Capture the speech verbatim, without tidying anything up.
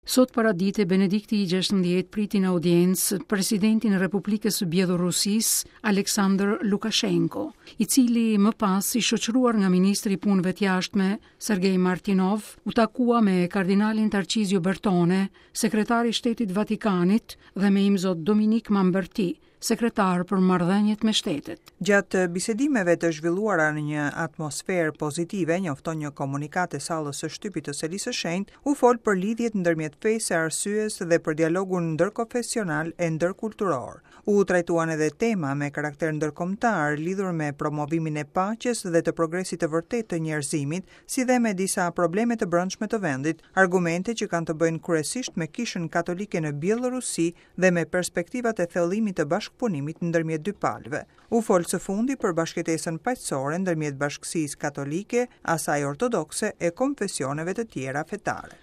Sot paradite Benedikti i gjashtëmbëdhjetë priti në audiencë presidentin e Republikës së Bjellorusisë, Aleksandr Lukashenko, i cili më pas i shoqëruar nga ministri i Punëve të Jashtme, Sergej Martinov, u takua me kardinalin Tarcizio Bertone, sekretari i Shtetit Vatikanit, dhe me imzot Dominik Mamberti, sekretar për marrëdhëniet me shtetet. Gjatë bisedimeve të zhvilluara në një atmosferë pozitive, njofton një komunikatë e sallës së shtypit të Selisë së Shenjtë, u fol për lidhjet ndërmjet fesë e arsyes dhe për dialogun ndërkonfesional e ndërkulturor. U trajtuan edhe tema me karakter ndërkombëtar lidhur me promovimin e paqes dhe të progresit të vërtetë të njerëzimit, si dhe me disa probleme të brendshme të vendit, argumente që kanë të bëjnë kryesisht me Kishën Katolike në Bjellorusi dhe me perspektivat e thellimit të bashkëpunimit ndërmjet dy palëve. U fol së fundi për bashkëjetesën paqësore ndërmjet bashkësisë katolike, asaj ortodokse e konfesioneve të tjera fetare.